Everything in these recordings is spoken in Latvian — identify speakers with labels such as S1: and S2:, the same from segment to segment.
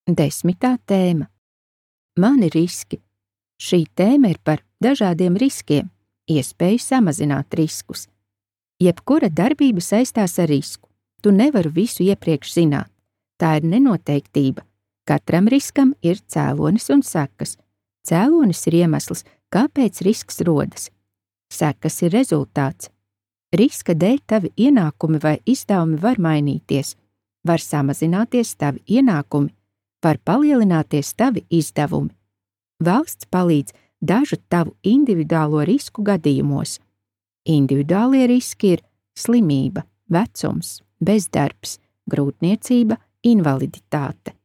S1: 10. tēma. Mani riski. Šī tēma ir par dažādiem riskiem, iespēju samazināt riskus. Jebkura darbība saistās ar risku. Tu nevari visu iepriekš zināt. Tā ir nenoteiktība. Katram riskam ir cēlonis un sekas. Cēlonis ir iemesls, kāpēc risks rodas. Sekas ir rezultāts. Riska dēļ tavi ienākumi vai izdevumi var mainīties. Var samazināties tavi ienākumi, var palielināties tavi izdevumi. Valsts palīdz dažu tavu individuālo risku gadījumos. Individuālie riski ir slimība, vecums, bezdarbs, grūtniecība, invaliditāte.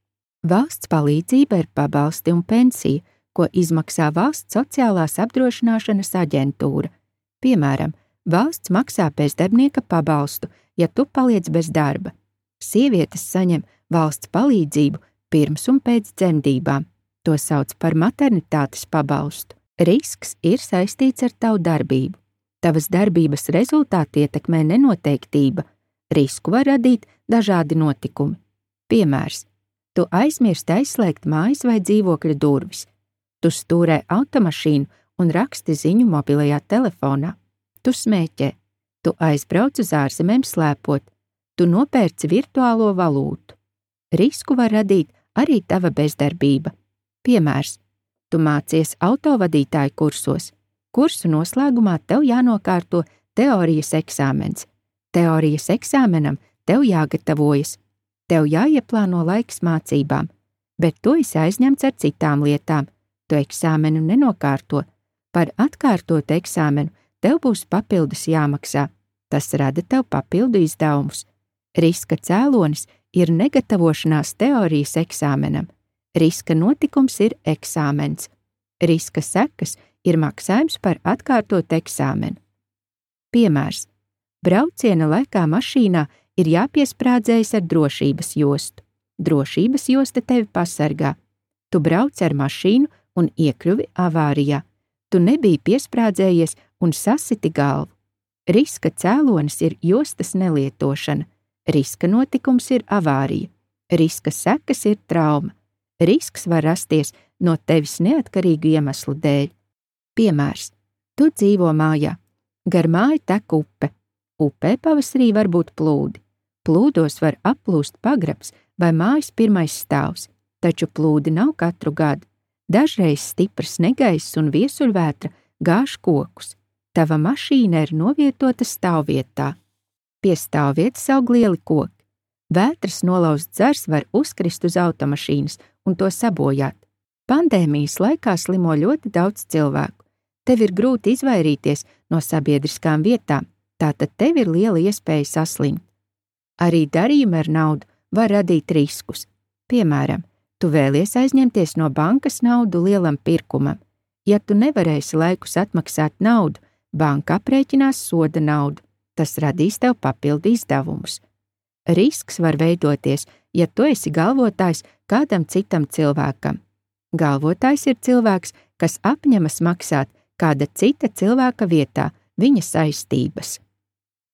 S1: Valsts palīdzība ir pabalsti un pensija, ko izmaksā Valsts sociālās apdrošināšanas aģentūra. Piemēram, valsts maksā bezdarbnieka pabalstu, ja tu paliec bez darba. Sievietes saņem valsts palīdzību pirms un pēc dzemdībām. To sauc par maternitātes pabalstu. Risks ir saistīts ar tavu darbību. Tavas darbības rezultāti ietekmē nenoteiktība. Risku var radīt dažādi notikumi. Piemērs. Tu aizmirsti aizslēgt mājas vai dzīvokļa durvis. Tu stūrē automašīnu un raksti ziņu mobilajā telefonā. Tu smēķē. Tu aizbrauc uz ārzemēm slēpot. Tu nopērci virtuālo valūtu. Risku var radīt arī tava bezdarbība. Piemērs. Tu mācies autovadītāju kursos. Kursu noslēgumā tev jānokārto teorijas eksāmens. Teorijas eksāmenam tev jāgatavojas. Tev jāieplāno laiks mācībām, bet tu esi aizņemts ar citām lietām. Tu eksāmenu nenokārto. Par atkārtotu eksāmenu tev būs papildus jāmaksā. Tas rada tev papildu izdevumus. Riska cēlonis ir negatavošanās teorijas eksāmenam. Riska notikums ir eksāmens. Riska sekas ir maksājums par atkārtotu eksāmenu. Piemērs. Brauciena laikā mašīnā ir jāpiesprādzējas ar drošības jostu. Drošības josta tevi pasargā. Tu brauc ar mašīnu un iekļuvi avārijā. Tu nebiji piesprādzējies un sasiti galvu. Riska cēlonis ir jostas nelietošana. Riska notikums ir avārija. Riska sekas ir trauma. Risks var rasties no tevis neatkarīgu iemeslu dēļ. Piemērs. Tu dzīvo mājā. Gar māju tek upe. Upē pavasarī var būt plūdi. Plūdos var aplūst pagrabs vai mājas pirmais stāvs, taču plūdi nav katru gadu. Dažreiz stiprs negaiss un viesuļvētra gāž kokus. Tava mašīna ir novietota stāvvietā. Pie stāvvietas aug lieli koki. Vētras nolauzts dzars var uzkrist uz automašīnas un to sabojāt. Pandēmijas laikā slimo ļoti daudz cilvēku. Tev ir grūti izvairīties no sabiedriskām vietām, tātad tev ir liela iespēja saslimt. Arī darījumi ar naudu var radīt riskus. Piemēram, tu vēlies aizņemties no bankas naudu lielam pirkumam. Ja tu nevarēsi laikus atmaksāt naudu, banka aprēķinās soda naudu. Tas radīs tev papildu izdevumus. Risks var veidoties, ja tu esi galvotājs kādam citam cilvēkam. Galvotājs ir cilvēks, kas apņemas maksāt kāda cita cilvēka vietā viņa saistības.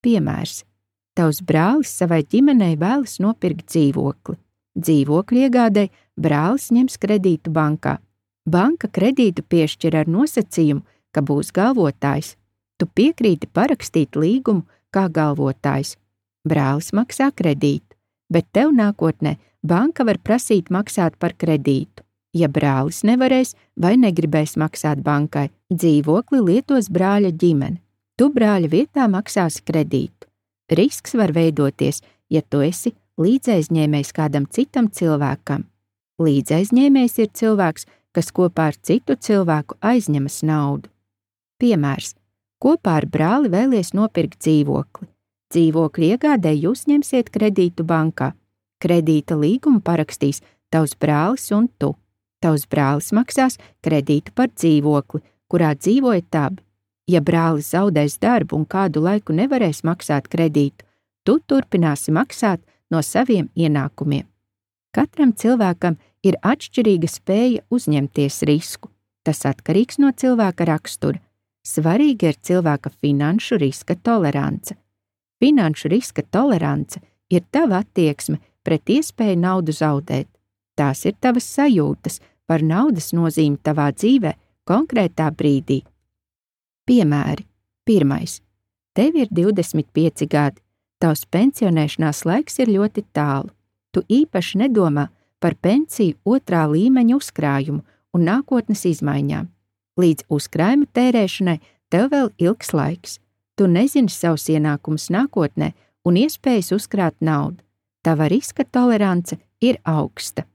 S1: Piemērs. Tavs brālis savai ģimenei vēlas nopirkt dzīvokli. Dzīvokļu iegādei brālis ņems kredītu bankā. Banka kredītu piešķir ar nosacījumu, ka būs galvotājs. Tu piekrīti parakstīt līgumu kā galvotājs. Brālis maksā kredītu, bet tev nākotnē banka var prasīt maksāt par kredītu. Ja brālis nevarēs vai negribēs maksāt bankai, dzīvokli lietos brāļa ģimene. Tu brāļa vietā maksāsi kredītu. Risks var veidoties, ja tu esi līdzaizņēmējs kādam citam cilvēkam. Līdzaizņēmējs ir cilvēks, kas kopā ar citu cilvēku aizņemas naudu. Piemērs. Kopā ar brāli vēlies nopirkt dzīvokli. Dzīvokļu iegādē jūs ņemsiet kredītu bankā. Kredīta līgumu parakstīs tavs brālis un tu. Tavs brālis maksās kredītu par dzīvokli, kurā dzīvojat abi. Ja brālis zaudēs darbu un kādu laiku nevarēs maksāt kredītu, tu turpināsi maksāt no saviem ienākumiem. Katram cilvēkam ir atšķirīga spēja uzņemties risku. Tas atkarīgs no cilvēka rakstura. Svarīga ir cilvēka finanšu riska tolerance. Finanšu riska tolerance ir tava attieksme pret iespēju naudu zaudēt. Tās ir tavas sajūtas par naudas nozīmi tavā dzīvē konkrētā brīdī. Piemēri. 1. Tev ir 25 gadi. Tavs pensionēšanās laiks ir ļoti tālu. Tu īpaši nedomā par pensiju 2. līmeņa uzkrājumu un nākotnes izmaiņām. Līdz uzkrājuma tērēšanai tev vēl ilgs laiks. Tu nezini savus ienākumus nākotnē un iespējas uzkrāt naudu. Tava riska tolerance ir augsta.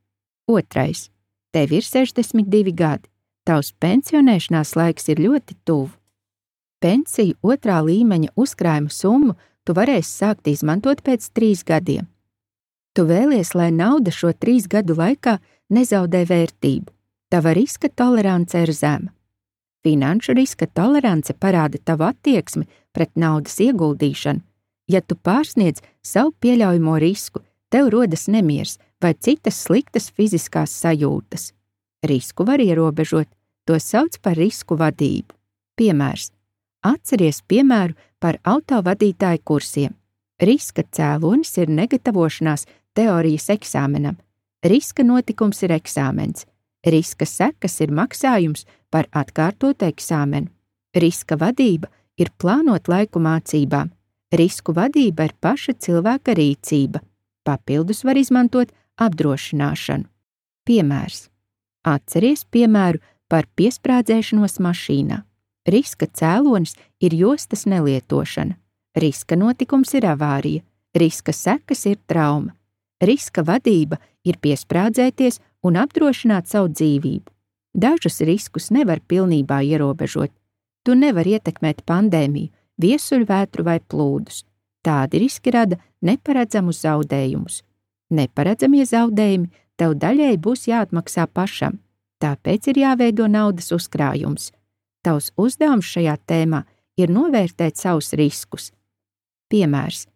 S1: 2. Tev ir 62 gadi. Tavs pensionēšanās laiks ir ļoti tuvu. Pensiju 2. līmeņa uzkrājuma summu tu varēsi sākt izmantot pēc 3 gadiem. Tu vēlies, lai nauda šo 3 gadu laikā nezaudē vērtību. Tava riska tolerance ir zema. Finanšu riska tolerance parāda tavu attieksmi pret naudas ieguldīšanu. Ja tu pārsniedz savu pieļaujamo risku, tev rodas nemiers vai citas sliktas fiziskās sajūtas. Risku var ierobežot, to sauc par risku vadību. Piemērs. Atceries piemēru par autovadītāju kursiem. Riska cēlonis ir negatavošanās teorijas eksāmenam. Riska notikums ir eksāmens. Riska sekas ir maksājums par atkārtotu eksāmenu. Riska vadība ir plānot laiku mācībām. Risku vadība ir paša cilvēka rīcība. Papildus var izmantot apdrošināšanu. Piemērs. Atceries piemēru par piesprādzēšanos mašīnā. Riska cēlonis ir jostas nelietošana. Riska notikums ir avārija. Riska sekas ir trauma. Riska vadība ir piesprādzēties un apdrošināt savu dzīvību. Dažus riskus nevar pilnībā ierobežot. Tu nevari ietekmēt pandēmiju, viesuļvētru vai plūdus. Tādi riski rada neparedzamus zaudējumus. Neparedzamie zaudējumi tev daļēji būs jāatmaksā pašam, tāpēc ir jāveido naudas uzkrājums. Tavs uzdevums šajā tēmā ir novērtēt savus riskus. Piemērs.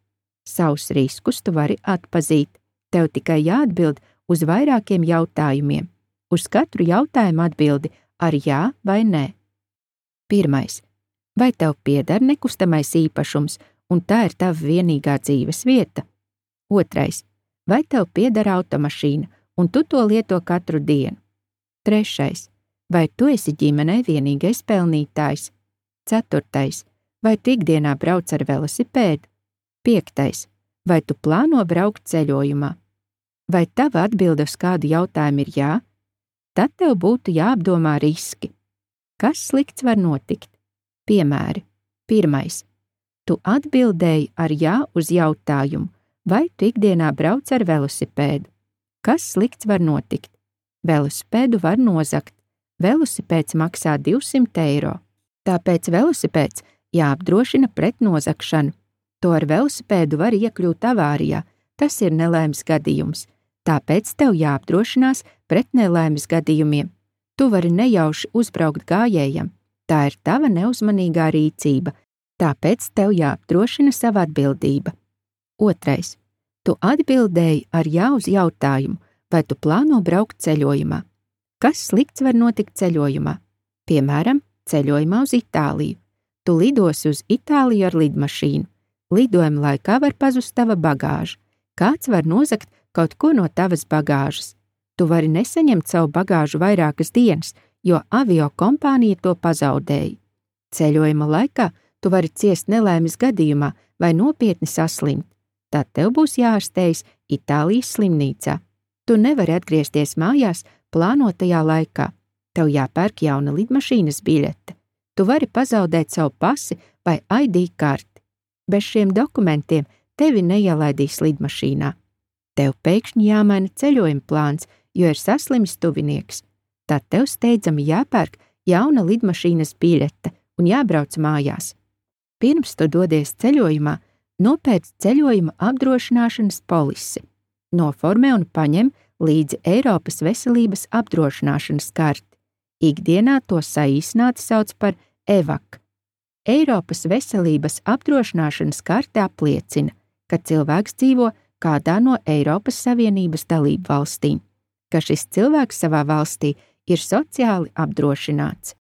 S1: Savus riskus tu vari atpazīt. Tev tikai jāatbild uz vairākiem jautājumiem. Uz katru jautājumu atbildi ar jā vai nē. 1. Vai tev pieder nekustamais īpašums, un tā ir tava vienīgā dzīves vieta? 2. Vai tev pieder automašīna, un tu to lieto katru dienu? 3. Vai tu esi ģimenē vienīgais pelnītājs? 4. Vai tu ikdienā brauc ar velosipēdu? 5. Vai tu plāno braukt ceļojumā? Vai tava atbilde uz kādu jautājumu ir jā? Tad tev būtu jāapdomā riski. Kas slikts var notikt? Piemēri. 1. Tu atbildēji ar jā uz jautājumu, vai tu ikdienā brauc ar velosipēdu. Kas slikts var notikt? Velosipēdu var nozagt. Velosipēds maksā 200 eiro. Tāpēc velosipēds jāapdrošina pret nozagšanu. To ar velosipēdu var iekļūt avārijā. Tas ir nelaimes gadījums. Tāpēc tev jāapdrošinās pret nelaimes gadījumiem. Tu vari nejauši uzbraukt gājējam. Tā ir tava neuzmanīgā rīcība. Tāpēc tev jāapdrošina sava atbildība. 2. Tu atbildēji ar jā uz jautājumu, vai tu plāno braukt ceļojumā. Kas slikts var notikt ceļojumā? Piemēram, ceļojumā uz Itāliju. Tu lidosi uz Itāliju ar lidmašīnu. Lidojuma laikā var pazust tava bagāža. Kāds var nozagt kaut ko no tavas bagāžas. Tu vari nesaņemt savu bagāžu vairākas dienas, jo avio kompānija to pazaudēja. Ceļojuma laikā tu vari ciest nelaimes gadījumā vai nopietni saslimt. Tad tev būs jāārstējas Itālijas slimnīcā. Tu nevari atgriezties mājās plānotajā laikā. Tev jāpērk jauna lidmašīnas biļete. Tu vari pazaudēt savu pasi vai ID karti. Bez šiem dokumentiem tevi neielaidīs lidmašīnā. Tev pēkšņi jāmaina ceļojuma plāns, jo ir saslimis tuvinieks. Tad tev steidzami jāpērk jauna lidmašīnas biļete un jābrauc mājās. Pirms tu dodies ceļojumā, nopērc ceļojuma apdrošināšanas polisi. Noformē un paņem līdzi Eiropas veselības apdrošināšanas karti. Ikdienā to saīsināti sauc par EVAK. Eiropas veselības apdrošināšanas karte apliecina, ka cilvēks dzīvo kādā no Eiropas Savienības dalību valstīm, ka šis cilvēks savā valstī ir sociāli apdrošināts.